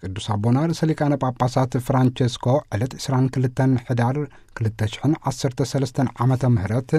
ቅዱስ ኣቦና ርእሰ ሊቃነ ጳጳሳት ፍራንቸስኮ ዕለት ዕስራን ክልተን ሕዳር ክልተ ሽሕን ዓሰርተ ሰለስተን ዓመተ ምህረት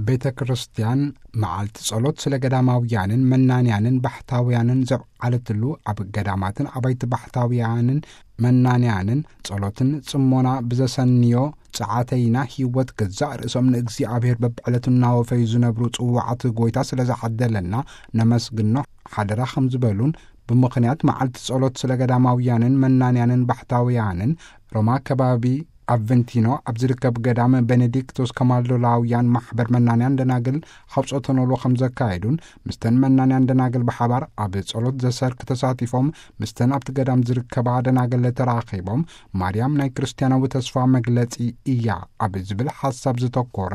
ቤተ ክርስቲያን መዓልቲ ጸሎት ስለ ገዳማውያንን መናንያንን ባሕታውያንን ዘብዓለትሉ፣ ኣብ ገዳማትን ኣባይቲ ባሕታውያንን መናንያንን ጸሎትን ጽሞና ብዘሰንዮ ጸዓተይና ህይወት ገዛእ ርእሶም ንእግዚኣብሔር በብዕለቱ እናወፈዩ ዝነብሩ ጽዋዓት ጎይታ ስለ ዝዓደለና ነመስግኖ ሓደራ ከም ዝበሉን፣ ብምኽንያት መዓልቲ ጸሎት ስለ ገዳማውያንን መናንያንን ባሕታውያንን ሮማ ከባቢ ኣቨንቲኖ ኣብ ዝርከብ ገዳም ቤኔዲክቶስ ከማልዶላውያን ማሕበር መናንያን ደናግል ሓውጾተኖሎ ከም ዘካየዱን፣ ምስተን መናንያን ደናግል ብሓባር ኣብ ጸሎት ዘሰርክ ተሳቲፎም፣ ምስተን ኣብቲ ገዳም ዝርከባ ደናግል ተራኺቦም፣ ማርያም ናይ ክርስትያናዊ ተስፋ መግለጺ እያ ኣብ ዝብል ሓሳብ ዝተኮረ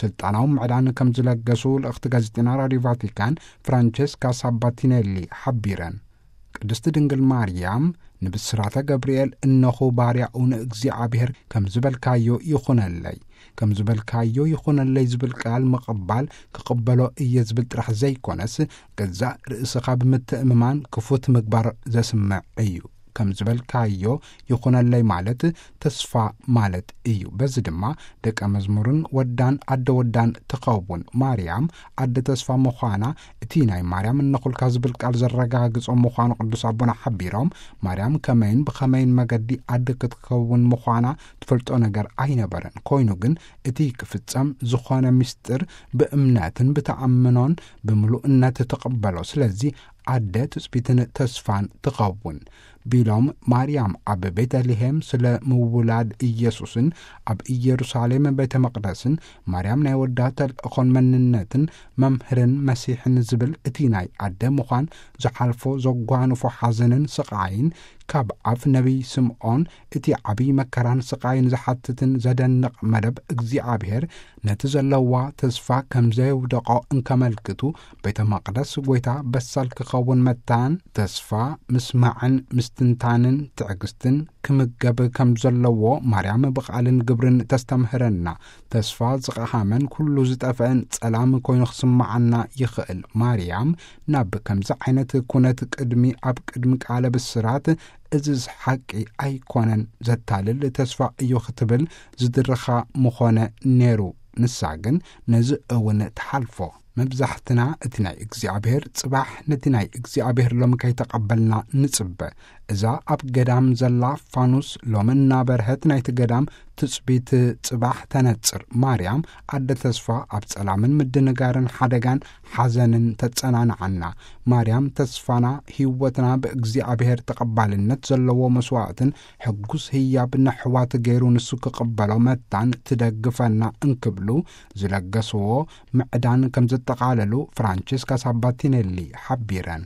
ስልጣናዊ ምዕዳን ከም ዝለገሱ ልእኽቲ ጋዜጠና ራዲዮ ቫቲካን ፍራንቸስካ ሳባቲኔሊ ሓቢረን። ቅድስቲ ድንግል ማርያም ንብስራተ ገብርኤል "እነኹ ባርያኡ ንእግዚኣብሔር፣ ከም ዝበልካዮ ይኹነለይ፣ ከም ዝበልካዮ ይኹነለይ" ዝብል ቃል ምቕባል፣ ክቕበሎ እየ ዝብል ጥራሕ ዘይኮነስ፣ ገዛእ ርእስኻ ብምትእምማን ክፉት ምግባር ዘስምዕ እዩ። ከም ዝበልካዮ ይኹነለይ ማለት ተስፋ ማለት እዩ። በዚ ድማ ደቀ መዝሙርን ወዳን ኣደ ወዳን ትኸውን። ማርያም ኣደ ተስፋ ምዃና እቲ ናይ ማርያም እነኹልካ ዝብል ቃል ዘረጋግጾ ምዃኑ ቅዱስ ኣቦና ሓቢሮም፣ ማርያም ከመይን ብኸመይን መገዲ ኣደ ክትከውን ምዃና ትፈልጦ ነገር ኣይነበረን። ኮይኑ ግን እቲ ክፍጸም ዝኾነ ምስጢር ብእምነትን ብተኣምኖን ብምሉእነት ትቕበሎ። ስለዚ ኣደ ትጽቢትን ተስፋን ትኸውን ቢሎም፣ ማርያም ኣብ ቤተልሔም ስለ ምውላድ ኢየሱስን ኣብ ኢየሩሳሌም ቤተ መቕደስን ማርያም ናይ ወዳ ተልእኾን መንነትን መምህርን መሲሕን ዝብል እቲ ናይ ኣደ ምዃን ዝሓልፎ ዘጓንፎ ሓዘንን ስቓይን፣ ካብ ኣፍ ነቢይ ስምዖን እቲ ዓብዪ መከራን ስቓይን ዝሓትትን ዘደንቕ መደብ፣ እግዚኣብሔር ነቲ ዘለዋ ተስፋ ከም ዘየውደቖ እንከመልክቱ፣ ቤተ መቕደስ ጐይታ በሳል ክኸውን መታን ተስፋ ምስማዕን ምስትንታንን ትዕግስትን ክምገብ ከም ዘለዎ ማርያም ብቓልን ግብርን ተስተምህረና። ተስፋ ዝቐሃመን ኩሉ ዝጠፍአን ጸላም ኮይኑ ክስምዓና ይኽእል። ማርያም ናብ ከምዚ ዓይነት ኩነት ቅድሚ፣ ኣብ ቅድሚ ቃለ ብስራት "እዝስ ሓቂ ኣይኮነን፣ ዘታልል ተስፋ እዩ" ክትብል ዝድርኻ ምኾነ ነይሩ። ንሳ ግን ነዚ እውን ትሓልፎ። መብዛሕትና እቲ ናይ እግዚኣብሔር ጽባሕ ነቲ ናይ እግዚኣብሔር ሎሚ ከይተቐበልና ንጽበ። እዛ ኣብ ገዳም ዘላ ፋኑስ ሎሚ እናበርሀት ናይቲ ገዳም ትጽቢት ጽባሕ ተነጽር። ማርያም ኣደ ተስፋ ኣብ ጸላምን ምድንጋርን ሓደጋን ሓዘንን ተጸናንዓና። ማርያም ተስፋና፣ ህይወትና ብእግዚኣብሔር ተቐባልነት ዘለዎ መስዋዕትን ሕጉስ ህያብ ነሕዋት ገይሩ ንሱ ክቕበሎ መታን ትደግፈና እንክብሉ ዝለገስዎ ምዕዳን ከም ዘጠቓለሉ ፍራንቸስካ ሳባቲኔሊ ሓቢረን።